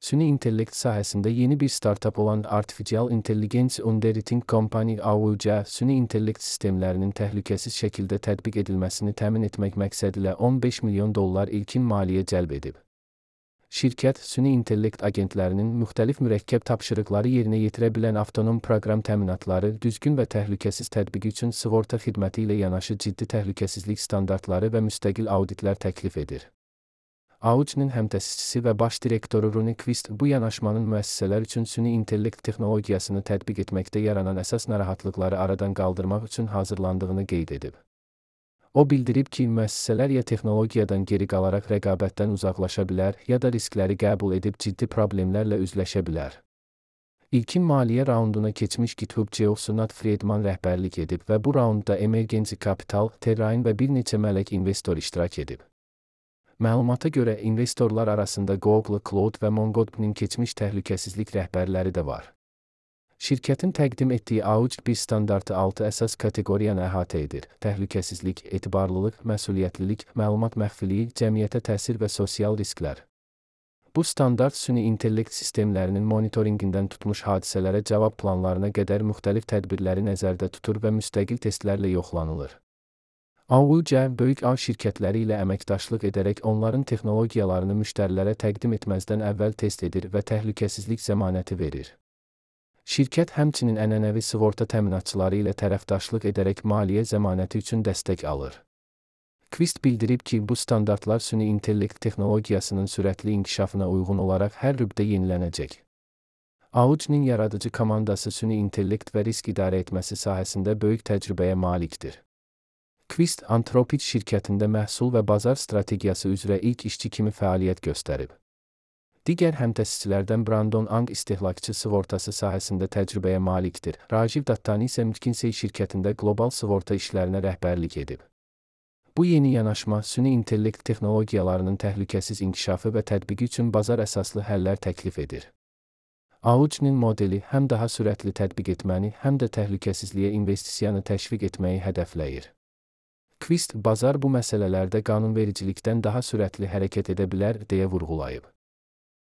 Süni intellekt sahəsində yeni bir startap olan Artificial Intelligence Underwriting Company (AUC), süni intellekt sistemlərinin təhlükəsiz şəkildə tətbiq edilməsini təmin etmək məqsədilə $15 milyon ilkin maliyyə cəlb edib. Şirkət, süni intellekt agentlərinin müxtəlif mürəkkəb tapşırıqları yerinə yetirə bilən avtonom proqram təminatları, düzgün və təhlükəsiz tətbiqi üçün sığorta xidməti ilə yanaşı ciddi təhlükəsizlik standartları və müstəqil auditlər təklif edir. AUC-nin həmtəsisçisi və baş direktoru Ronnie Quist bu yanaşmanın müəssisələr üçün süni intellekt texnologiyasını tətbiq etməkdə yaranan əsas narahatlıqları aradan qaldırmaq üçün hazırlandığını qeyd edib. O bildirib ki, müəssisələr ya texnologiyadan geri qalaraq rəqabətdən uzaqlaşa bilər, ya da riskləri qəbul edib ciddi problemlərlə üzləşə bilər. İlkin maliyyə raunduna keçmiş GitHub CEO-su Nat Friedman rəhbərlik edib və bu raundda Emergency Capital, Terrain və bir neçə mələk investor iştirak edib. Məlumata görə, investorlar arasında Google Cloud və MongoDB'nin keçmiş təhlükəsizlik rəhbərləri də var. Şirkətin təqdim etdiyi AUC bir standartı 6 əsas kateqoriyanı əhatə edir: təhlükəsizlik, etibarlılıq, məsuliyyətlilik, məlumat məxfiliyi, cəmiyyətə təsir və sosial risklər. Bu standart süni intellekt sistemlərinin monitoringindən tutmuş hadisələrə cavab planlarına qədər müxtəlif tədbirləri nəzərdə tutur və müstəqil testlərlə yoxlanılır. AUC, böyük ağ şirkətləri ilə əməkdaşlıq edərək onların texnologiyalarını müştərilərə təqdim etməzdən əvvəl test edir və təhlükəsizlik zəmanəti verir. Şirkət həmçinin ənənəvi sığorta təminatçıları ilə tərəfdaşlıq edərək maliyyə zəmanəti üçün dəstək alır. Quist bildirib ki, bu standartlar süni intellekt texnologiyasının sürətli inkişafına uyğun olaraq hər rübdə yenilənəcək. AUC-nin yaradıcı komandası süni intellekt və risk idarə etməsi sahəsində böyük təcrübəyə malikdir. Quist, Anthropic şirkətində məhsul və bazar strategiyası üzrə ilk işçi kimi fəaliyyət göstərib. Digər həmtəsisçilərdən Brandon Ang istehlakçı sığortası sahəsində təcrübəyə malikdir. Rajiv Dattani isə McKinsey şirkətində qlobal sığorta işlərinə rəhbərlik edib. Bu yeni yanaşma, süni intellekt texnologiyalarının təhlükəsiz inkişafı və tətbiqi üçün bazar əsaslı həllər təklif edir. AUC-nin modeli həm daha sürətli tətbiq etməni, həm də təhlükəsizliyə investisiyanı təşviq etməyi hədəfləyir. Quist, bazar bu məsələlərdə qanunvericilikdən daha sürətli hərəkət edə bilər, deyə vurğulayıb.